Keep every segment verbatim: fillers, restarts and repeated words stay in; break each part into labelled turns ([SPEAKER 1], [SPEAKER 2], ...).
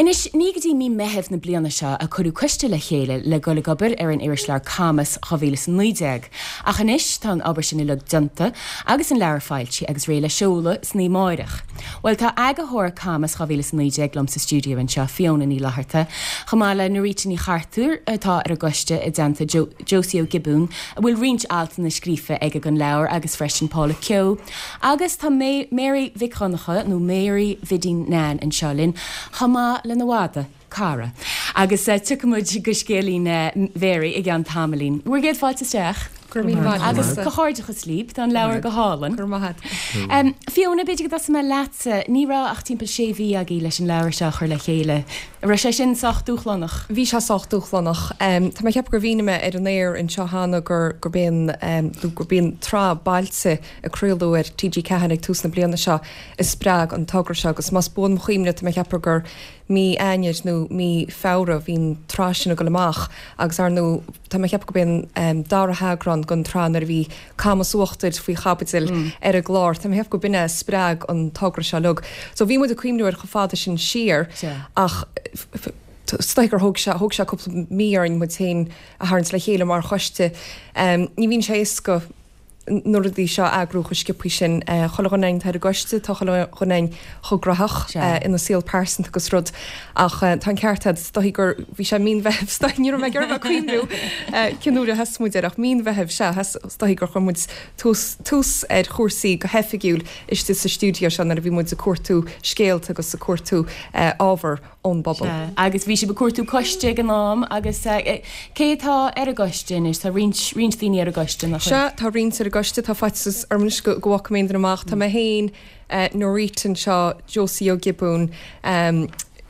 [SPEAKER 1] Anois, ní go dtí mí Mheithimh na bliana seo a cuireadh coiste le chéile le dul ag obair ar an irisleabhar Camas dhá mhíle is a naoi déag. Ach anois tá an obair sin uilig déanta agus an leabhar foilsithe agus réidh le seoladh san oíche amárach. Bhuel, tá eagarthóir Camas dhá mhíle is a naoi déag liom sa stiúideo anseo, Fiona Ní Fhlatharta, chomh maith le Norita Ní Chartúir atá ar an gcoiste i dteannta Josie Ó Giobúin, a bhfuil roinnt altanna scríofa aige don leabhar agus freisin Paula Keogh. Agus tá Mary Mhic Dhonncha nó Mary Bhidín Nan anseo linn chomh maith lena mhadadh, Cara. Agus tiocfaidh muid go scéilín Mhary i gceann tamaillín. Bhur gcéad fáilte isteach.
[SPEAKER 2] Go raibh míle maith agat.
[SPEAKER 1] Agus comhghairdeachas libh, tá an leabhar go hálainn.
[SPEAKER 2] Go raibh maith agat.
[SPEAKER 1] Fiona, b'fhéidir go dtosóidh mé leatsa. Ní raibh ach timpeall sé mhí agaibh leis an leabhar seo a chur le chéile. An raibh sé sin sách dúshlánach?
[SPEAKER 2] Bhí sé sách dúshlánach. Tá mé ag ceapadh gur mhínigh mé ar an aer anseo cheana gur gurb é an gurb í an tsraith Bailte a craoladh ar T G ceathair ag tús na bliana seo a spreag an togra seo agus más buan mo chuimhne tá mé ag ceapadh gur mí Eanáir nó mí Feabhra bhí an tsraith sin ag dul amach agus ar ndóigh tá mé ag ceapadh gurb é an dara heagrán den tsraith nuair a bhí Camas Uachtair faoi chaibidil ar an gclár. Tá mé ag ceapadh go b'in é a spreag an togra seo uilig. So bhí muid ag cuimhniú air chomh fada sin siar ach is dóigh gur thóg sé thóg sé cúpla mí orainn muid féin a tharraingt le chéile mar choiste. Ní bhíonn sé éasca na rudaí seo a eagrú chomh sciobtha sin. Chuile dhuine againn atá ar an gcoiste, tá chuile dhuine againn chomh graitheach ina saol pearsanta agus rud ach tá an ceart agat, is dóigh gur, bhí sé mí an Mheithimh, is dóigh, ní raibh mé ag iarraidh a bheith ag cuimhniú cén uair a thosaigh muid air ach mí an Mheithimh, sea, is dóigh gur chuir muid tús, tús ar chúrsaí go hoifigiúil istigh sa stiúideo seo nuair a bhí muid ag cuartú scéalta agus ag cuartú ábhar ón bpobal.
[SPEAKER 1] Sea, agus bhí sibh ag cuartú coiste ag an am agus cé atá ar an gcoiste anois? Tá roinnt, roinnt daoine ar an gcoiste, nach bhfuil?
[SPEAKER 2] Sea, tá roinnt ar an gcoiste, tá faitíos orm anois go bhfágfaidh mé aon duine amach. Tá mé féin, Norita anseo, Josie Ó Giobúin,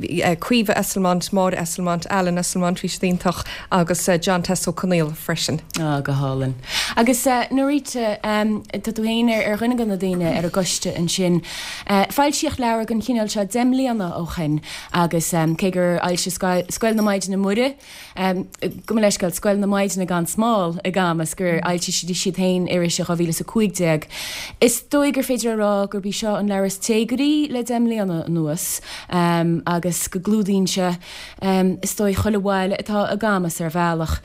[SPEAKER 2] Caoimhe Esslemont, Máire Esslemont, Alan Esslemont, bhí siad iontach, agus John Tess Ó Conaola freisin.
[SPEAKER 1] Ah, go hálainn. Agus Norita, tá tú féin ar dhuine de na daoine ar an gcoiste ansin. Foilsíodh leabhar den chineál seo deich mbliana ó shin agus cé gur fhoilsigh Scoil na Maighdine Muire, gabh mo leithscéal, Scoil na Maighdine gan Smál i gCamas, gur fhoilsigh siad féin iris i dhá mhíle is a cúig déag, is dóigh gur féidir a rá gurb í seo an leabhar is téagarthaí le deich mbliana anuas agus go gclúdaíonn sé, is dóigh, chuile bhaile atá i gCamas ar bhealach.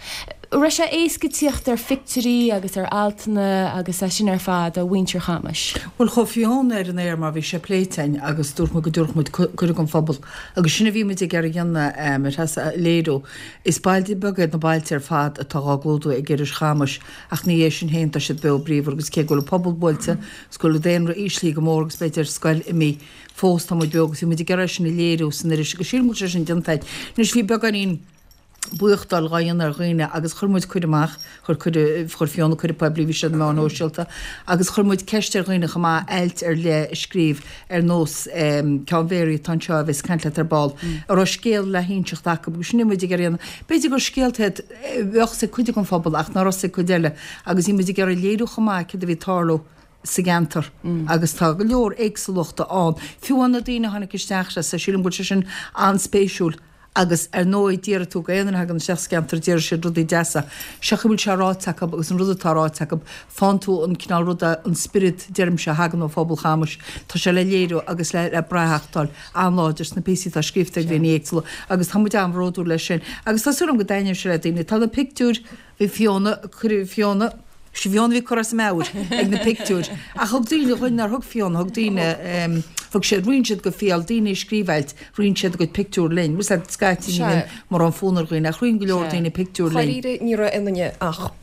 [SPEAKER 1] Raibh sé éasca tíocht ar phictiúirí agus ar altanna agus é sin ar fad ó mhuintir Chamais?
[SPEAKER 3] Bhuel, chuaigh Fiona ar an aer mar bhí sé pléite againn agus dúirt muid go dtabharfadh muid cuireadh don phobal agus sin a bhí muid ag iarraidh a dhéanamh, a Threasa, a léiriú. Is bailte beaga iad na bailte ar fad atá dhá gclúdú ag iris Chamais ach ina dhiaidh sin féin tá siad beo bríomhar agus cé go bhfuil an pobal buailte is go bhfuil an daonra íslithe go mór agus b'fhéidir scoil imithe fós tá muid beo agus bhí muid ag iarraidh é sin a léiriú san iris agus sílim go bhfuil sé sin déanta againn. Anois bhí beagáinín buíochtáil dhá dhéanamh ar dhaoine agus chuir muid cuireadh amach, chuir cuireadh, chuir Fiona cuireadh poiblí, bhí sé ar na meáin shóisialta, agus chuir muid ceist ar dhaoine chomh maith ailt ar leith a scríobh ar nós ceann Mhary atá anseo a bheas ag caint leat ar ball, a raibh scéal le hinseacht acu agus sin a bhí muid ag iarraidh a dhéanamh. B'fhéidir gur scéalta iad a bheadh 'fhios ag cuid den phobal ach nach raibh 'fhios ag cuid eile agus bhí muid ag iarraidh léiriú chomh maith céard a bhí ag tarlú sa gceantar agus tá go leor éagsúlachta ann. Fiú amháin na daoine a tháinig isteach, sílim go bhfuil sé sin an-spéisiúil. Agus ar ndóigh déarfaidh tú go aon duine a thagann isteach sa gceantar déarfaidh siad rudaí deasa. Seo a bhfuil sé ráite acu agus an rud atá ráite acu, faigheann tú an cineál ruda, an spiorad deirimse a thagann ó phobal Chamais, tá sé le léiriú agus le le brathachtáil an-láidir sna píosaí atá scríofa ag daoine éagsúla agus tá muid an-bhródúil leis sin. Agus tá súil agam go dtaitneoidh sé le daoine. Tá na pictiúir, bhí Fiona, cuireadh Fiona, Sí Fiona a bhí curtha as a meabhair ag na pictiúir. Ach thug daoine dhuinn nár thug Fiona, thug daoine, thug siad, roinn siad go fial, daoine a scríobh ailt, roinn siad a gcuid pictiúr linn. Bhfuil a fhios agat, scaití ní bhíonn mórán fonn ar dhaoine ach roinn go leor daoine pictiúr linn.
[SPEAKER 2] Dháiríre ní raibh ionainne ach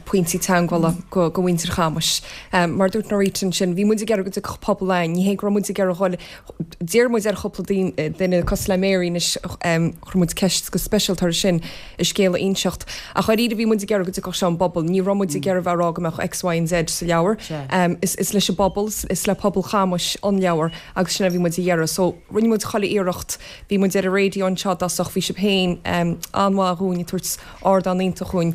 [SPEAKER 2] pointí teagmhála go go mhuintir Chamais. Mar a dúirt Norita ansin, bhí muid ag iarraidh go dtiocfadh pobal againn, ní hé go raibh muid ag iarraidh dhul, d'iarr muid ar chúpla duine cosúil le Mary anois, chuir muid ceist go speisialta uirthi sin, a scéal a inseacht. Ach dháiríre bhí muid ag iarraidh go dtiocfadh sé ón bpobal. Ní raibh muid ag iarraidh bheith ag rá go mbeadh X, Y and Z sa leabhar. Is is leis an bpobal, is le pobal Chamais an leabhar agus sin a bhí muid a iarraidh. So rinne muid chuile iarracht. Bhí muid ar an raidió anseo i dtosach, bhí sibh féin an-mhaith dhúinn ag tabhairt ardán iontach dhúinn.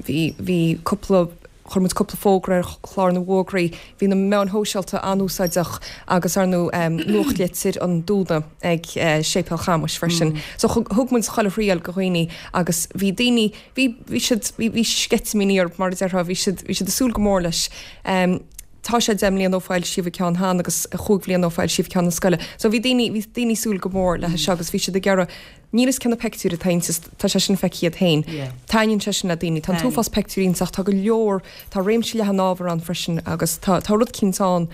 [SPEAKER 2] Bhí bhí cúpla Chuir muid cúpla fógra ar chlár na bhfógraí. Bhí na meáin shóisialta an-úsáideach agus, ar ndóigh, nuachtlitir an Dúna ag Séipéal Chamais freisin. So thug muid chuile thriail go dhaoine agus bhí daoine, bhí, bhí siad, bhí, bhí sceitimíní orthu mar a déarfá, bhí siad, bhí siad ag súil go mór leis. Tá sé deich mbliana ó foilsíodh an ceann cheana agus chúig bhliana ó foilsíodh ceann na scoile. So bhí daoine, bhí daoine ag súil go mór le seo agus bhí siad ag iarraidh, níl fhios cé na peictiúir atá inti, tá sé sin feicthe iad féin. Taitníonn sé sin le daoine. Tá an t-uafás peictiúirí inti ach tá go leor, tá réimse leathan ábhar ann freisin agus tá, tá rud eicínt ann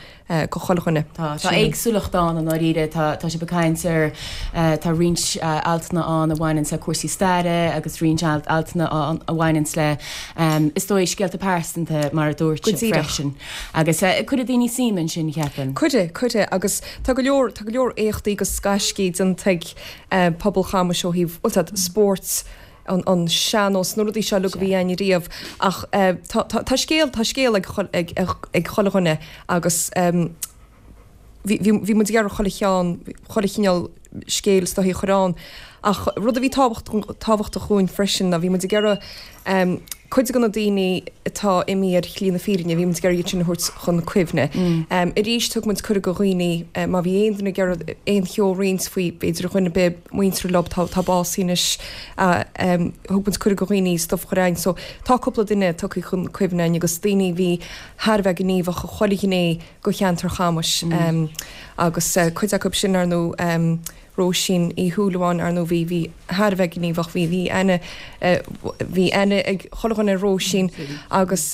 [SPEAKER 2] go chuile dhuine.
[SPEAKER 1] Tá, tá éagsúlacht ann i ndáiríre, tá, tá sibh ag caint ar, tá roinnt altanna ann a bhaineanns le cúrsaí staire agus roinnt altanna ann a bhaineanns le, is dóigh, scéalta pearsanta mar a dúirt
[SPEAKER 2] Go
[SPEAKER 1] sibh
[SPEAKER 2] díreach.
[SPEAKER 1] freisin. Agus cuirfidh daoine suim ansin, cheapfainn.
[SPEAKER 2] Cuirfidh, cuirfidh agus tá go leor, tá go leor éachtaí agus gaiscí déanta ag pobal Chamais ó thaobh, bhuel, tá spóirt, an, an sean-nós, na rudaí seo uilig a bhí againn riamh ach tá, tá, tá scéal, tá scéal ag, ag, ag chuile dhuine agus bhí, bhí, bhí muid ag iarraidh chuile cheann, chuile chineál scéil is dóichí a chur ann ach rud a bhí tábhachtach dhúinn freisin ná bhí muid ag iarraidh cuid de na daoine atá imithe ar shlí na fírinne, bhí muid ag iarraidh iad sin a thabhairt chun cuimhne. Arís thug muid cuireadh do dhaoine má bhí aon duine ag iarraidh aon cheo a roinnt faoi b'fhéidir dhuine ar bith muinteartha leo atá atá básaithe anois thug muid cuireadh do dhaoine stuif a chur againn. So tá cúpla duine tugtha chun cuimhne againn agus daoine a bhí thar a bheith gníomhach i chuile ghné de cheantar Chamais agus cuid acu sin ar ndóigh Róisín Uí Shúilleabháin, ar ndóigh bhí, bhí thar a bheith gníomhach, bhí, bhí aithne, bhí aithne ag chuile dhuine ar Róisín agus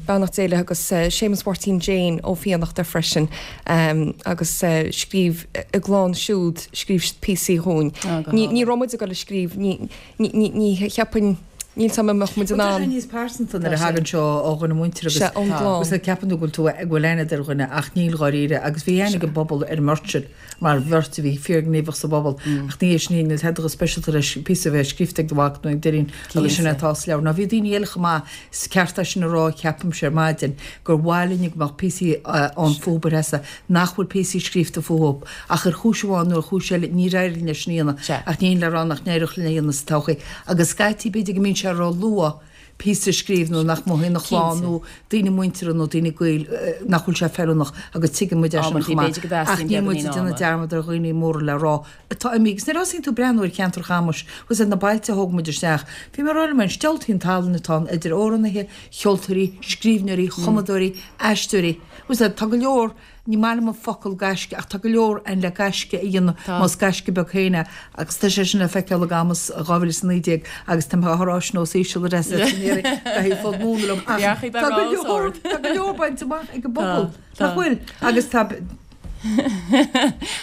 [SPEAKER 2] beannacht Dé léi agus Séamus Mháirtín Jane Ó Fiannachta freisin agus scríobh a gclann siúd, scríobh siad píosaí dhúinn. Ní, ní raibh muid ag dul a scríobh, ní, ní, ní, ní cheapfainn, níl 's a'm an mbeadh muid in
[SPEAKER 3] Tá sé
[SPEAKER 2] ann.
[SPEAKER 3] níos pearsanta nuair a thagann sé ó dhuine muinteartha
[SPEAKER 2] Sea,
[SPEAKER 3] agus
[SPEAKER 2] ón gclann.
[SPEAKER 3] agus ceapann tú go bhfuil tú go bhfuil aithne ar dhuine ach níl dháiríre agus bhí aithne ag an bpobal ar an mbeirt sin mar bheirt a bhí fíorghníomhach sa bpobal ach ní hé sin níl tada chomh speisialta leis píosa a bheith scríofa ag do mhac nó ag d'iníon agus sin atá sa leabhar. Ná bhí daoine eile chomh maith is ceart é sin a rá ceapaimse ar maidin gur mhaith linn go mbeadh píosaí ann fúthu Treasa nach bhfuil píosaí scríofa fúthu ach ar chúis amháin nó ar chúis eile níor éirigh linn é sin a dhéanamh
[SPEAKER 1] Sea.
[SPEAKER 3] ach ní le rá nach n-éireodh linn é a dhéanamh sa todhchaí agus scaití b'fhéidir go mbíonn sé ró-luath píosa a scríobh nó nach mothaíonn an chlann
[SPEAKER 1] Cinnte.
[SPEAKER 3] nó daoine muinteartha nó daoine gaoil nach bhfuil sé feiliúnach agus tuigeann muid é sin
[SPEAKER 1] Amantaí
[SPEAKER 3] chomh maith
[SPEAKER 1] b'fhéidir go
[SPEAKER 3] ach
[SPEAKER 1] dteastaíonn
[SPEAKER 3] níl muid
[SPEAKER 1] beagáinín
[SPEAKER 3] ag déanamh
[SPEAKER 1] ama.
[SPEAKER 3] dearmad ar dhaoine móra le rá atá imithe. Agus nuair a thosaíonn tú ag breathnú ar cheantar Chamais agus ar na bailte a thóg muid isteach, bhí mé ag rá liom féin, diabhaltaí an tallann atá ann idir amhránaithe, cheoltóirí, scríbhneoirí, chumadóirí, aisteoirí. Agus tá go leor Ní maith liom an focal gaisce ach tá go leor ann le gaisce a dhéanamh, más gaisce beag féin é, agus tá sé sin le feiceáil i gCamas dhá mhíle is a naoi déag agus tá mé á rá sin os íseal a Threasa san iarraidh go fód múnla liom ach tá go leor tá go leor bainte amach ag an bpobal, nach bhfuil? Agus tá.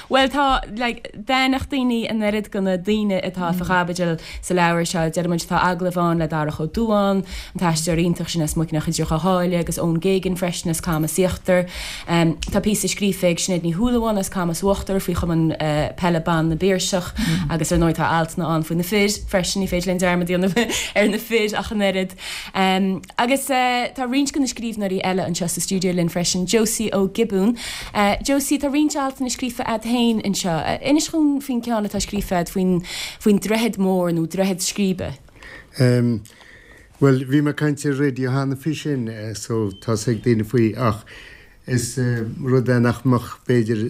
[SPEAKER 1] Bhuel tá, like, d'aithneodh daoine an oiread de na daoine atá fá chaibidil sa leabhar seo. Deir muid tá agallamh ann le Darach Ó Dubháin, an t-aisteoir iontach sin as Muirneach idir Dhá Sháile agus Eoin Geoghegan freisin as Camas Íochtar. Tá píosa scríofa ag Sinéad Ní Shúilleabháin as Camas Uachtar faoi Chumann Peile Ban na bPiarsach agus ar ndóigh tá altanna ann faoi na fir freisin, ní féidir linn dearmad a dhéanamh ar na fir ach an oiread. Agus tá roinnt de na scríbhneoirí eile anseo sa stiúideo linn freisin, Josie Ó Giobúin. Josie, tá roinnt altanna scríofa agat féin anseo. Inis dhúinn faoin ceann atá scríofa agat faoin faoin droichead mór nó droichead scríbe.
[SPEAKER 4] Um, bhuel, bhí mé ag caint ar raidió cheana faoi sin, so tá's ag daoine faoi ach is uh, rud é nach mbeadh b'fhéidir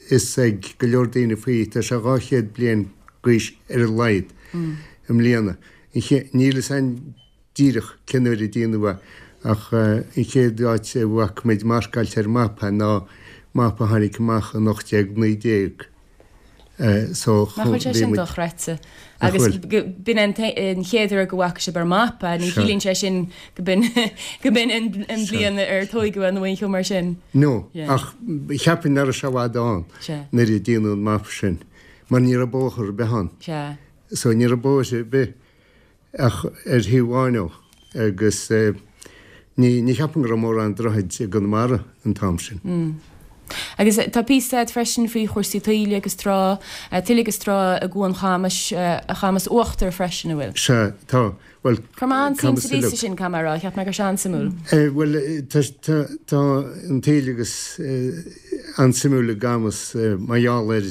[SPEAKER 4] fhios ag go leor daoine faoi, tá sé dhá chéad bliain d'aois ar a laghad mm. i mbliana. Níl fhios a'inn díreach cén uair a déanadh é ach an chéad áit a bhfaca muid marcáilte ar mapa ná mapa a tháinig amach in ocht déag naoi déag. So
[SPEAKER 1] Nach bhfuil sé
[SPEAKER 4] bhí
[SPEAKER 1] sin
[SPEAKER 4] muid.
[SPEAKER 1] dochreidte?
[SPEAKER 4] Nach
[SPEAKER 1] Agus
[SPEAKER 4] bhfuil?
[SPEAKER 1] b'in an chéad uair go bhfaca sibh ar mapa, ní
[SPEAKER 4] Sea.
[SPEAKER 1] chiallaíonn sé sin go b'in go b'in an
[SPEAKER 4] Sea.
[SPEAKER 1] bhliain ar tóigeadh é nó aon cheo mar sin.
[SPEAKER 4] No,
[SPEAKER 1] Yeah.
[SPEAKER 4] ach cheapfainn nach raibh sé i bhfad ann
[SPEAKER 1] Sea.
[SPEAKER 4] nuair a déanadh an mapa sin, mar ní raibh bóthar ar bith ann.
[SPEAKER 1] Sea.
[SPEAKER 4] So ní raibh bóithre ar bith ach ar thaobh amháin dhó agus ní ní cheapaim go raibh mórán droichid i gConamara an t-am sin.
[SPEAKER 1] Agus tá píosa agat freisin faoi chúrsaí taoille agus trá, tuile agus trá i gCuan Chamais, Chamas Uachtar freisin, an bhfuil?
[SPEAKER 4] Sea, tá. Bhuel,
[SPEAKER 1] Chuir mé an-suim
[SPEAKER 4] Camas
[SPEAKER 1] sa phíosa
[SPEAKER 4] uilig.
[SPEAKER 1] sin, caithfidh mé a rá, cheap mé go raibh sé an-suimiúil.
[SPEAKER 4] Bhuel, tá tá tá an taoille agus an-suimiúil i gCamas mar gheall ar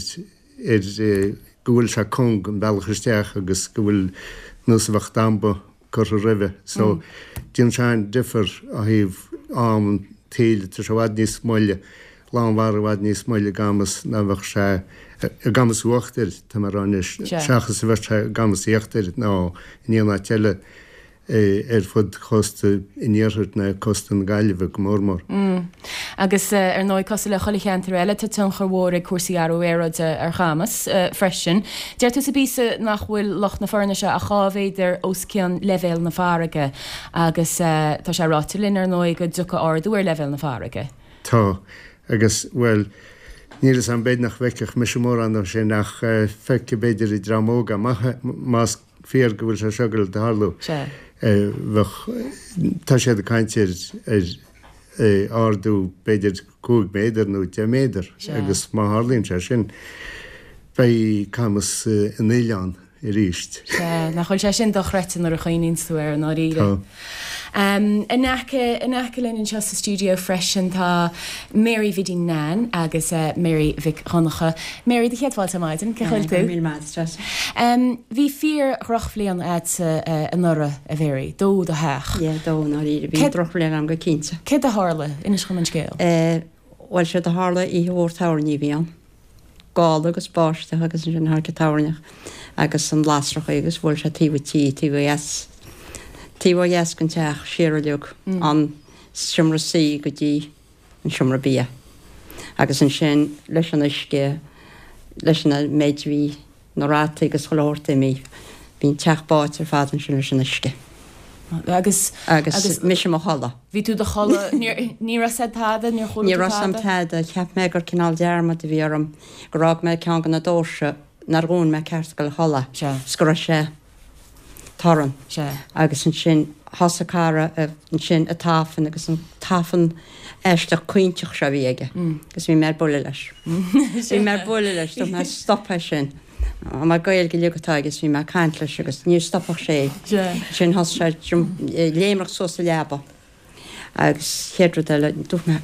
[SPEAKER 4] ar go bhfuil sé cúng an bealach isteach agus go bhfuil nós a bheadh damba curtha roimhe. So déanann sé an-difear ó thaobh am an taoille, tá sé i bhfad níos moille, lánmhara i bhfad níos moille i gCamas ná bheadh sé i gCamas Uachtair, tá mé a rá anois, seachas a bheadh sé i gCamas Íochtair nó in aon áit eile. ar fud chósta an iarthair ná cósta na Gaillimhe go mór mór.
[SPEAKER 1] Agus ar ndóigh cosúil le chuile cheantar eile tá tionchar mhór ag cúrsaí athrú aeráide ar Chamas freisin. Deir tú sa bpíosa nach bhfuil Loch na Foirnise ach dhá mhéadar os cionn leibhéal na farraige agus tá sé ráite linn ar ndóigh go dtiocfaidh ardú ar leibhéal na farraige.
[SPEAKER 4] Tá, agus, bhuel, níl 'fhios a'm b'fhéidir nach bhfeicfeadh mise mórán de sin ach feicfidh b'fhéidir an dream óg amach más fíor go bhfuil sé seo ag dul a tharlú. Bheadh, tá siad ag caint ar ar ardú b'fhéidir cúig méadar nó deich méadar agus má tharlaíonn sé sin beidh Camas ina oileán arís.
[SPEAKER 1] Sea, nach bhfuil sé sin dochreidte nuair a chuimhníonn tú air i ndáiríre.
[SPEAKER 4] Tá.
[SPEAKER 1] In aice, in aice linn anseo sa stiúideo freisin tá Mary Bhiddy Nan agus Mary Mhic Dhonncha. Mary, do chéad fáilte ar maidin, cén chaoi a bhfuil tú?
[SPEAKER 5] Go raibh míle maith agat, Treasa.
[SPEAKER 1] Bhí fíor dhrochbhliain a'dsa anuraidh, a Mhary, dódh do theach.
[SPEAKER 5] Yeah, dódh i ndáiríre, bhí drochbhliain a'm go cinnte.
[SPEAKER 1] Céard a tharla? Inis dhom an scéal.
[SPEAKER 5] Bhuel, séard a tharla oíche mhór toirní a bhí ann. Gála agus báisteach agus ansin tháinig an toirneach agus an lasrachaí agus bhuail sé taobh an tí, taobh ó dheas, taobh ó dheas den teach, siar uilig, an seomra suí go dtí an seomra bia. Agus ansin leis an uisce, leis an méid a bhí na rataí agus chuile shórt imithe, bhí an teach báite ar fad ansin leis an uisce.
[SPEAKER 1] Agus,
[SPEAKER 5] agus mise i mo chodladh.
[SPEAKER 1] Bhí tú i do chodladh, ní raibh 'fhios a'd tada, níor chuala
[SPEAKER 5] Ní
[SPEAKER 1] tú
[SPEAKER 5] raibh 'fhios a'm
[SPEAKER 1] tada?
[SPEAKER 5] tada, cheap mé gur cineál dearmad a bhí orm, gur fhág mé ceann de na doirse nár dhún mé ceart ag dul a chodladh,
[SPEAKER 1] Sea.
[SPEAKER 5] 's go raibh sé torann.
[SPEAKER 1] Sea.
[SPEAKER 5] Agus ansin thosaigh cara ansin ag tafann agus an tafann aisteach caointeach seo a bhí aige agus bhí mé ar buile leis. Bhí mé ar buile leis, dúirt mé stop é sin. Mar Gaeilge uilig atá aige is bhí mé ag caint leis agus ní stopfadh sé. Ansin thosaigh sé ag léimreach suas sa leaba agus chéad rud eile dúirt mé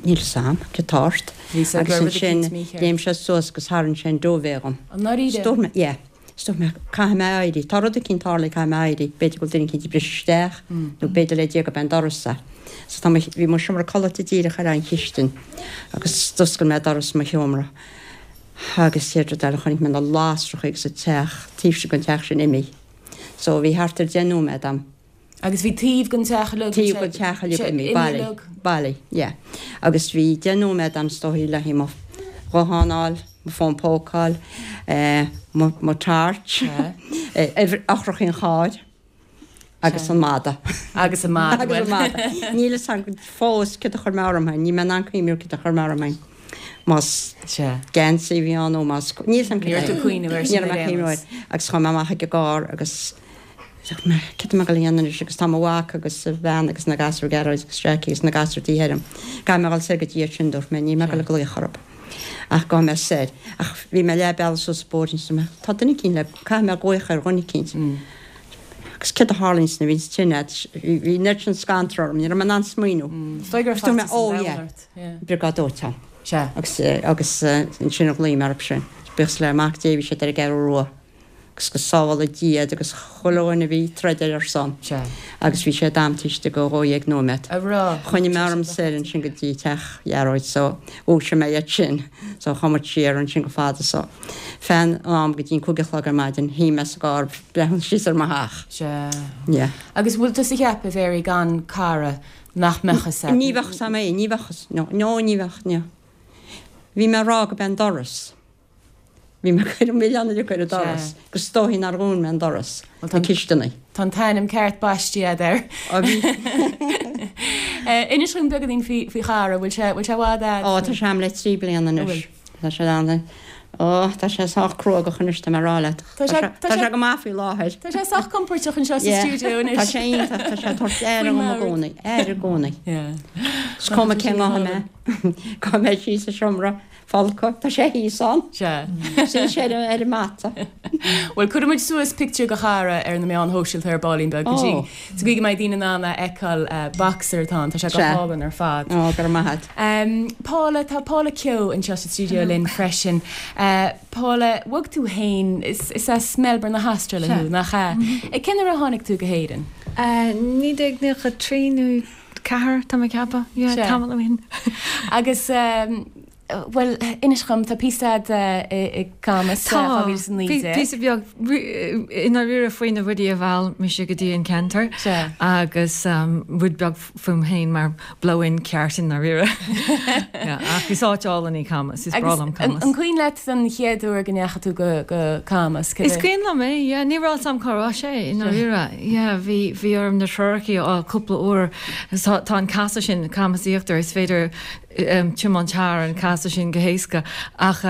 [SPEAKER 5] níl 'fhios a'm cad tá ort
[SPEAKER 1] Bhí sé
[SPEAKER 5] agus
[SPEAKER 1] ag rud
[SPEAKER 5] ansin
[SPEAKER 1] eicínt mícheart.
[SPEAKER 5] léim sé suas agus tharraing sé an duvet dhom.
[SPEAKER 1] I ndáiríre?
[SPEAKER 5] Is dúirt mé yeah. Is dúirt mé caithfidh mé éirí, tá rud eicínt tarlaithe caithfidh mé éirí, b'fhéidir go bhfuil duine eicínt ag briseadh isteach nó b'fhéidir le Dia gurb é an doras é. So tá mo, bhí mo sheomra codlata díreach ar an chistin agus d'oscail mé doras mo sheomra Agus chéad rud eile chonaic mé na lasracha agus an teach, taobh sin den teach sin imithe. So bhí thart ar deich nóiméad a'm.
[SPEAKER 1] Agus bhí taobh den teach uilig,
[SPEAKER 5] Taobh den teach uilig imithe, bailigh, bailigh, yeah. Agus bhí deich nóiméad a'm is dóigh le haghaidh mo ghuthán a fháil, mo fón póca a fháil, eh, mo, mo torch, eh, eochracha an chairr. Agus an madadh.
[SPEAKER 1] Agus an madadh,
[SPEAKER 5] Agus an madadh. Níl fhios a'm fós céard a chuir mé orm féin, níl mé in ann cuimhniú céard a chuir mé orm féin. Más geansaí a bhí ann nó más, níl fhios a'm
[SPEAKER 1] Ní raibh tú ag cuimhneamh air sin
[SPEAKER 5] Ní raibh mé
[SPEAKER 1] ar
[SPEAKER 5] ag
[SPEAKER 1] aon
[SPEAKER 5] cuimhneamh
[SPEAKER 1] nós.
[SPEAKER 5] air. Agus chuaigh mé amach ag an gcarr agus dúirt mé, céard tá mé ag dul a dhéanamh anois agus tá mo mhac agus a bhean agus na gasúir Gearóid agus Jackie agus na gasúir de dhíth orm. Caithfidh mé a dhul soir go dtí iad sin, dúirt mé, níl mé ag dul ag glaoch orthu. Ach gabhfaidh mé soir. Ach bhí mé leath bealaigh suas an bóithrín is dúirt mé, tá duine eicínt le, caithfidh mé glaoch ar dhuine eicínt. Agus céard a tharlaíonn nuair a bhíonns tine a'd, bhí an oiread sin scanradh orm, ní raibh mé in ann smaoineamh.
[SPEAKER 1] Is dóigh go raibh
[SPEAKER 5] Dúirt mé,
[SPEAKER 1] faitíos an
[SPEAKER 5] oh
[SPEAKER 1] domhain
[SPEAKER 5] yeah,
[SPEAKER 1] ort, yeah.
[SPEAKER 5] Briogáid Dóiteáin.
[SPEAKER 1] Sea.
[SPEAKER 5] Agus, agus ansin a ghlaoigh mé orthu sin. Buíochas le Mac Dé bhí siad ar an gCeathrú Rua. Agus go sábhála Dia iad agus chuile dhuine a bhí ag troid ar son.
[SPEAKER 1] Sea.
[SPEAKER 5] Agus bhí sé d'am taobh istigh de dhó dhéag nóiméad.
[SPEAKER 1] A raibh.
[SPEAKER 5] Choinnigh mé orm soir ansin go dtí teach Ghearóid so dhúisigh mé iad sin so chuaigh muid siar ansin go fada so feadh an am go dtí an cúig a chlog ar maidin shuigh mé sa gcarr ag breathnú síos ar mo theach.
[SPEAKER 1] Sea.
[SPEAKER 5] Yeah.
[SPEAKER 1] Agus bhfuil tusa ag ceapadh, a Mhary, gan cara nach mbeadh fhios a'd?
[SPEAKER 5] Ní bheadh fhios a'm é, ní bheadh fhios, no, no ní bheadh, no. Bhí mé ag rá go b'é an doras. Bhí mé ag cur an milleán uilig ar an doras, agus is dóichí nár dhún mé an doras, na cisteanaí.
[SPEAKER 1] Tá an t-ainm ceart baistí a'd air.
[SPEAKER 5] Ó bhí.
[SPEAKER 1] Inis dhúinn beagáinín faoi faoi Chara, bhfuil sé bhfuil sé i bhfad a'd?
[SPEAKER 5] Ó, tá sé a'm le trí bliana
[SPEAKER 1] An
[SPEAKER 5] anois.
[SPEAKER 1] bhfuil?
[SPEAKER 5] Tá sé ann. Ó, tá sé sách cruógach anois, tá mé ag rá leat.
[SPEAKER 1] Tá sé
[SPEAKER 5] Tá sé go maith faoi láthair.
[SPEAKER 1] Tá sé sách compordach anseo sa
[SPEAKER 5] Yeah.
[SPEAKER 1] stiúideo anois.
[SPEAKER 5] Tá sé iontach, tá sé ag tabhairt aire
[SPEAKER 1] Faoin
[SPEAKER 5] dhom i
[SPEAKER 1] mbord.
[SPEAKER 5] gcónaí, aire i gcónaí.
[SPEAKER 1] Yeah.
[SPEAKER 5] Is cuma cén ghnótha mé, gabhfaidh mé síos sa seomra. Folctha, tá sé thíos ann.
[SPEAKER 1] Sea.
[SPEAKER 5] Suíonn sé ar an mata.
[SPEAKER 1] Bhuel, cuirfidh muid suas pictiúr de Chara ar na meáin shóisialta ar baillín beag go dtí
[SPEAKER 5] Ó.
[SPEAKER 1] sa gcaoi go mbeidh daoine in ann a fheiceáil. Boxer atá ann, tá sé go
[SPEAKER 5] Sea.
[SPEAKER 1] hálainn ar fad.
[SPEAKER 5] Ó, go raibh maith a't.
[SPEAKER 1] Paula, tá Paula Keogh anseo sa stiúideo linn freisin. Paula, bhog tú féin, is is as Melbourne na hAstráile
[SPEAKER 6] Sea.
[SPEAKER 1] thú, nach ea? Cén uair a tháinig tú go hÉirinn?
[SPEAKER 6] Naoi déag nócha trí nó ceathair, tá mé ag ceapadh. Yeah,
[SPEAKER 1] Sea.
[SPEAKER 6] tamall ó shin.
[SPEAKER 1] Agus Bhuel, inis dhom, tá píosa a'd i Camas
[SPEAKER 6] dhá mhíle is a naoi déag. Píosa beag i ndáiríre faoi na rudaí a mheall mise go dtí an ceantar agus rud beag fúm féin mar blow-in ceart i ndáiríre. Ach is áit álainn í Camas, is breá liom Camas.
[SPEAKER 1] An cuimhin leat an chéad uair go ndeachaigh tú go Camas?
[SPEAKER 6] Is cuimhin liom é, yeah. Ní raibh a fhios a'm cá raibh sé i ndáiríre. Yeah, bhí bhí orm na treoracha a fháil cúpla uair. Tá an casadh sin, Camas Íochtar, is féidir tiomáint thar an casadh sin go héasca ach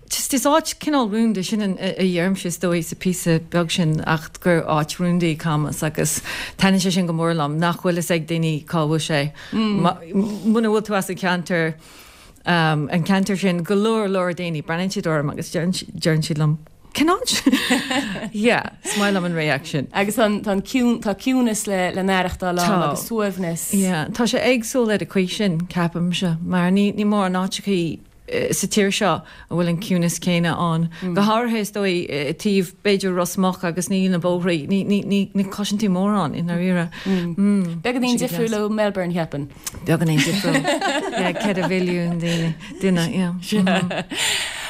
[SPEAKER 6] just is áit cineál rúnda sin a dheirimse is dóigh sa píosa beag sin ach gur áit rúnda í Camas agus taitníonn sé sin go mór liom nach bhfuil fhios ag daoine cá bhfuil sé. Muna bhfuil tú as an cheantar an ceantar sin go leor leor daoine breathnaíonn siad orm agus deireann siad liom Cén áit? Yeah, is maith liom an reaction.
[SPEAKER 1] Agus tá an ciún, tá ciúnas le le n-aireachtáil ann agus suaimhneas.
[SPEAKER 6] Yeah, tá sé éagsúil ar an chaoi sin, ceapaimse, mar ní ní mórán áiteachaí sa tír seo a bhfuil an ciúnas céanna ann. Go háirithe is dóigh i dtaobh b'fhéidir Ros Muc agus ní na bóithrí, ní ní ní ní chloiseann tú mórán i ndáiríre.
[SPEAKER 1] Beagáinín difriúil ó Melbourne, cheapfainn.
[SPEAKER 6] Beagáinín difriúil. Yeah, ceithre mhilliún daoine, duine, yeah.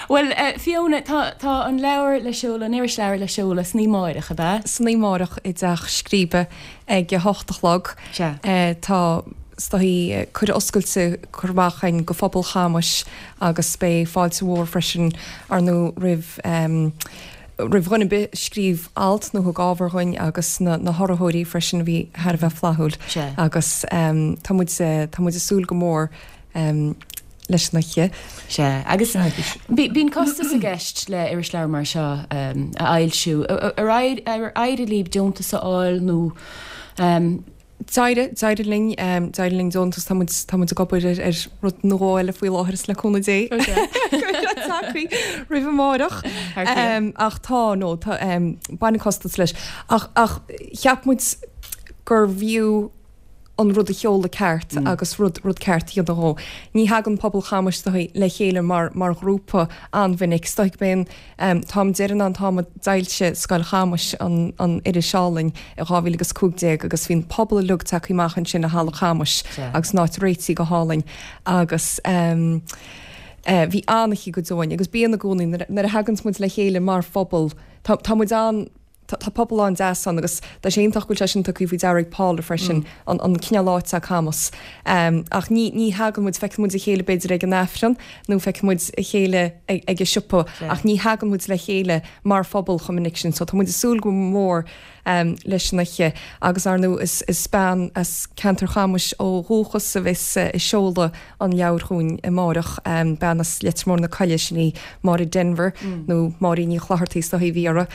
[SPEAKER 1] Bhuel, Fiona, tá tá an leabhar le seoladh, an irisleabhar le seoladh san oíche amárach, ab ea?
[SPEAKER 2] San oíche amárach i dTeach Scríbe ag a hocht a chlog.
[SPEAKER 1] Sea.
[SPEAKER 2] Tá, is dóigh, cuireadh oscailte curtha amach againn go phobal Chamais agus beidh fáilte mhór freisin, ar ndóigh, roimh roimh dhuine ar bith a scríobh alt nó thug ábhar dhuinn agus na na hurraitheoirí freisin a bhí thar a bheith flaithiúil.
[SPEAKER 1] Sea.
[SPEAKER 2] Agus tá muid tá muid ag súil go mór leis an oíche.
[SPEAKER 1] Sea, agus bíonn costas i gceist le irisleabhar mar seo a fhoilsiú. Ar éirigh libh deontas a fháil nó?
[SPEAKER 2] D'éirigh, d'éirigh linn, d'éirigh linn deontas, tá muid, tá muid ag obair ar, ar rud nó dhó eile faoi láthair is le cúnamh Dé go mbeidh sé tagtha roimh amárach. Ach tá, nó tá, baineann costas leis. Ach, ach cheap muid gurbh fhiú an rud a sheoladh ceart agus rud rud ceart a dhéanamh dhó. Ní thagann pobal Chamais is dóigh le chéile mar mar ghrúpa an-mhinic. Is dóigh go mb'é an t-am deireanach an t-am a d'fhoilsigh Scoil Chamais an an iris álainn i dhá mhíle agus cúig déag agus bhí an pobal uilig tagtha amach ansin i Halla Chamais agus an áit réitithe go hálainn agus bhí an-oíche go deo againn agus bíonn i gcónaí nuair a thaganns muid le chéile mar phobal tá tá muid an Tá pobal an-deas ann agus tá sé iontach go bhfuil sé sin tugtha faoi deara ag Paula freisin, an an cineál áit atá Camas. Ach ní ní thagann muid, feiceann muid a chéile b'fhéidir ag an Aifreann nó feiceann muid a chéile ag ag an siopa ach ní thagann muid le chéile mar phobal chomh minic sin. So tá muid ag súil go mór leis an oíche agus ar ndóigh is is bean as ceantar Chamais ó dhúchas a bheas ag seoladh an leabhair chugainn amáireach, bean as Leitir Móir na Coille, sin í Máire Denvir nó Máirín Ní Chlochartaigh is dóigh a bhí uirthi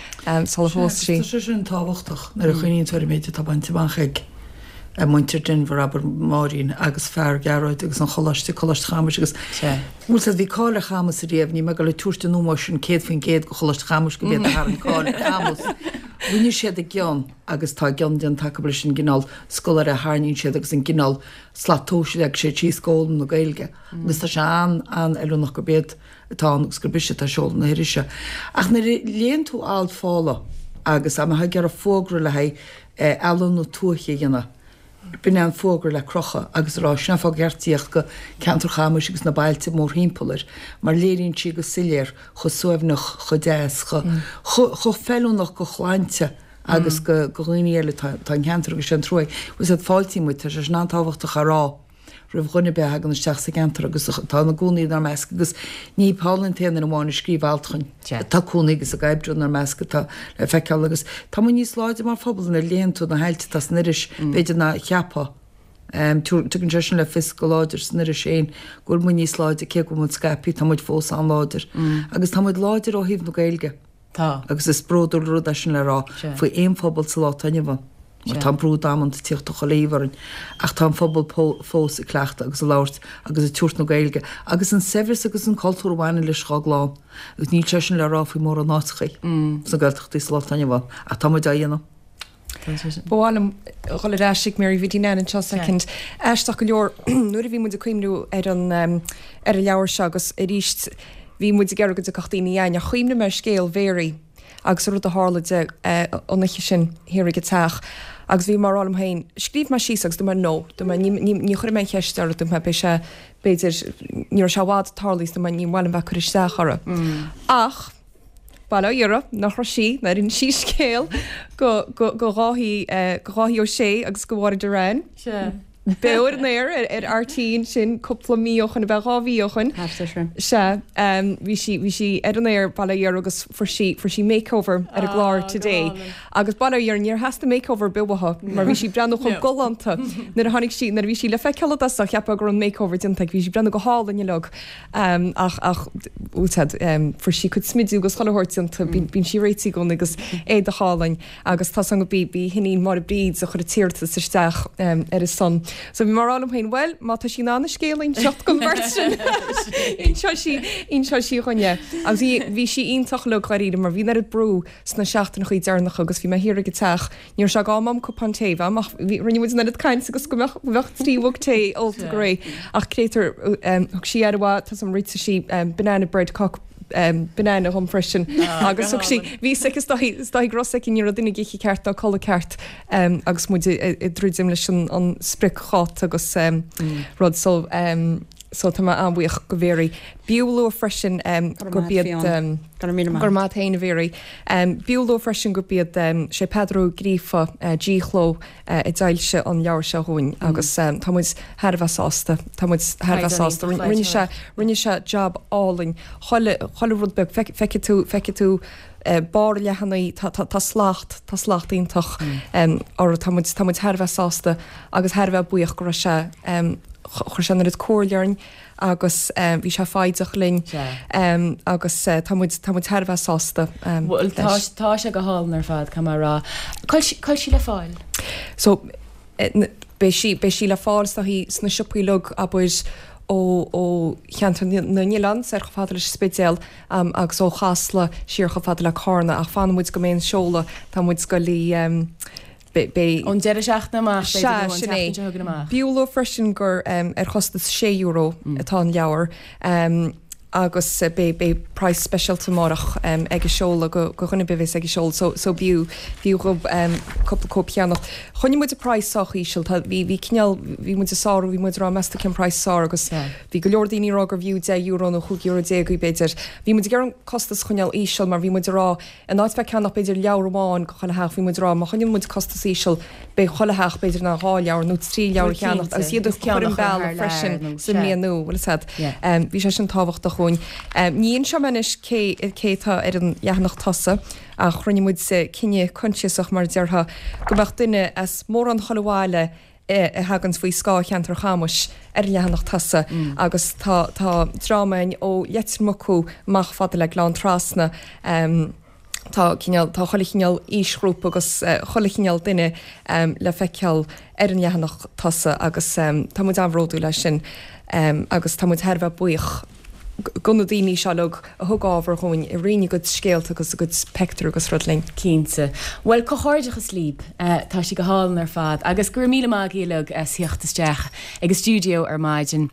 [SPEAKER 2] sular phós sí.
[SPEAKER 3] Tá sé sin tábhachtach nuair a chuimhníonn tú ar an méid atá bainte amach ag muintir Denvir, abair, Máirín agus fear Gearóid agus an choláiste, Coláiste Chamais agus bhfuil 's a'd bhí cáil ar Chamas ariamh, níl mé ag dul ag tabhairt an ómóis sin céad faoin gcéad go Choláiste Chamais gurb iad a tharraing cáil ar Chamas. Rinne siad a gcion agus tá a gcion déanta acu leis an gcineál scoláire a tharraingíonn siad agus an gcineál slat tomhais a leag siad síos d'fhoghlaim na Gaeilge agus tá sé an-an-fheiliúnach gurb iad atá ann agus gurb ise atá ag seoladh na hirise. Ach nuair a léann tú alt Phaula agus dá mbeifeá ag iarraidh fógra le haghaidh ealaín na tuaithe a dhéanamh, b'in é an fógra le crochadh agus a rá sin an fáth gur cheart tíocht go ceantar Chamais agus na bailte mórthimpeall air mar léiríonn sí go soiléir chomh suaimhneach, chomh deas, chomh feiliúnach do shláinte agus do dhaoine eile atá an ceantar agus sé an trua é. Bhfuil 's a'd fáiltíonn muid, tá sé sin an-tábhachtach a rá roimh dhuine ar bith a thagann isteach sa gceantar agus atá ina gcónaí inár measc agus ní Paula an t-aon duine amháin a scríobh alt chugainn. Tá cónaí agus ag oibriú inár measc atá le feiceáil agus tá muid níos láidre mar phobal nuair a léann tú na hailt atá san iris b'fhéidir ná a cheapfá. Tugann sé sin le fios go láidir san iris féin go bhfuil muid níos láidre cé go bhfuil muid scaipthe tá muid fós an-láidir agus tá muid láidir ó thaobh na Gaeilge.
[SPEAKER 1] Tá.
[SPEAKER 3] Agus is bródúil rud é sin le rá faoi aon phobal sa lá atá inniu ann. Mar tá an brú damanta ag tíocht ó chuile thaobh orainn ach tá an phobal fós ag cleachtadh agus ag labhairt agus ag tabhairt na Gaeilge agus an saibhreas agus an cultúr a bhaineann leis dhá gclann agus níl sé sin le rá faoi mórán áiteachaí sna Gaeltachtaí sa lá atá inniu ann ach tá muid á dhéanamh.
[SPEAKER 2] Ba mhaith liom dhul ar ais ag Mary Bhiddy Nan anseo soicind. Aisteach go leor, nuair a bhí muid ag cuimhniú ar an ar an leabhar seo agus arís bhí muid ag iarraidh go dtiocfadh daoine againn ach chuimhnigh mé ar scéal Mhary agus an rud a tharla di an oíche sin thiar ag an teach Agus bhí mé ag rá liom féin, scríobh mé síos agus dúirt mé no, dúirt mé ní, ní, ní chuirfidh mé an cheist uirthi, dúirt mé beidh sé, b'fhéidir, ní raibh sé i bhfad tarlaithe is dúirt mé ní mhaith liom bheith ag cur isteach uirthi. Ach, bail ó Dhia uirthi, nach raibh sí, nár inis sí scéal go, go, go Dháithí, eh, go Dháithí Ó Sé agus go Mháire Doran.
[SPEAKER 6] Sea.
[SPEAKER 2] Beo ar an aer ar RTÉ ansin cúpla mí ó shoin, ab ea dhá mhí ó shoin.
[SPEAKER 5] Thart air sin.
[SPEAKER 2] Sea, bhí sí, bhí sí ar an aer, bail ó Dhia uirthi, agus fuair sí, fuair sí makeover ar an gclár Today. Agus bail ó Dhia uirthi, níor theastaigh makeover ar bith uaithi mar bhí sí ag breathnú chomh galánta nuair a tháinig sí, nuair a bhí sí le feiceáil i dtosach, cheapfá go raibh an makeover déanta aici, bhí sí ag breathnú go hálainn uilig. Ach, ach, bhfuil a fhios a'd, fuair sí cuid smidiú agus chuile shórt déanta, bíonn sí réitithe i gcónaí agus éadach álainn. Agus tá 's agam gurb í, b'í a hiníon Máire Bríd a chuir an t-iarratas isteach ar a son. So bhí mé ag rá liom féin, bhuel, má tá sí in ann an scéal a inseacht don bheirt sin, inseoidh sí, inseoidh sí dhúinn é. Agus bhí, bhí sí iontach uilig dháiríre mar bhí an oiread brú sna seachtaineachaí deireanacha agus bhí mé thiar ag an teach, ní raibh sé d'am a'm cupán tae a bheith a'm ach bhí, rinne muid an oiread cainte agus go mbeadh, go mbeadh trí mhug tae ólta go réidh. Ach créatúr, thug sí aire mhaith, tá 's a'm, réitigh sí banana bread cáca, banana dhom freisin agus thug sí, bhí 's aici is dóichí, is dóichí go raibh 's aici ní raibh duine ag ithe ceart ná codladh ceart agus muid ag druidim leis an spriocdháta agus rud so so tá mé an-bhuíoch go Mhary. B'fhiú a lua freisin gurb iad,
[SPEAKER 5] Go raibh míle maith.
[SPEAKER 2] Go raibh maith a't féin a Mhary. B'fhiú a lua freisin gurb iad, sé Peadar Ó Gríofa, G-Chló, a d'fhoilsigh an leabhar seo dhúinn agus tá muid thar a bheith sásta, tá muid thar a bheith sásta. Rinne sé, rinne sé jab álainn, chuile, chuile rud beag, feicfidh tú, feicfidh tú barr an leathanaigh, tá, tá, tá slacht, tá slacht iontach orthu, tá muid, tá muid thar a bheith sásta agus thar a bheith buíoch go raibh sé, chuir sé an oiread comhairle orainn agus bhí sé foighdeach linn agus tá muid, tá muid thar a bheith sásta
[SPEAKER 1] Bhuel, tá, tá sé go hálainn ar fad, caithfidh mé a rá. Cá bhfuil, cá bhfuil sí le fáil?
[SPEAKER 2] So, beidh sí, beidh sí le fáil is dóichí sna siopaí uilig, abair, ó, ó Cheantar na nOileán soir chomh fada leis an Spidéal agus ó Chasla siar chomh fada le Cárna ach fanfaidh muid go mbeidh an seoladh, tá muid ag goil í, Beidh.
[SPEAKER 1] Ón deireadh seachtaine amach, b'fhéidir,
[SPEAKER 2] Sea,
[SPEAKER 1] nó an
[SPEAKER 2] sin é.
[SPEAKER 1] tseachtain seo chugainn amach.
[SPEAKER 2] B'fhiú a lua freisin gur ar chostas sé euro atá an leabhar agus beidh beidh praghas speisialta amárach ag an seoladh go go dhuine ar bith a bheas ag an seoladh so so b'fhiú b'fhiú dhóibh cúpla cóip a cheannacht. Choinnigh muid an praghas sách íseal, tá bhí bhí cineál bhí muid ag sárú bhí muid ag rá meas tú cén praghas is fearr agus bhí go leor daoine ag rá gurbh fhiú deich euro nó chúig euro déag í b'fhéidir. Bhí muid ag iarraidh an costas a choinneáil íseal mar bhí muid ag rá In áit bheith ag ceannach b'fhéidir leabhar amháin go chuile theach, bhí muid ag rá má choinníonn muid costas íseal, beidh chuile theach b'fhéidir in ann dhá leabhar nó trí leabhar a cheannacht agus iad a chur an bealach freisin sa mbliain nua, bhfuil fhios a'd. Bhí sé sin tábhachtach dhúinn. Ní inseoidh mé anois cé cé atá ar an leathanach tosaigh ach rinne muid cinneadh coinsiasach mar a déarfá go mbeadh duine as mórán chuile bhaile a thaganns faoi scáth cheantar Chamais ar an leathanach tosaigh agus tá tá dream againn ó Leitir Mucú amach fada le Gleann Trasna. Tá cineál, tá chuile chineál aoisghrúpa agus chuile chineál duine le feiceáil ar an leathanach tosaigh agus tá muid an-bhródúil as sin agus tá muid thar a bheith buíoch go na daoine seo uilig a thug ábhar dhúinn, a roinn a gcuid scéalta agus a gcuid peictiúr agus rud linn.
[SPEAKER 1] Cinnte. Bhuel, comhghairdeachas libh. Tá sí go hálainn ar fad. Agus go raibh míle maith agaibh uilig as theacht isteach ag an stiúideo ar maidin.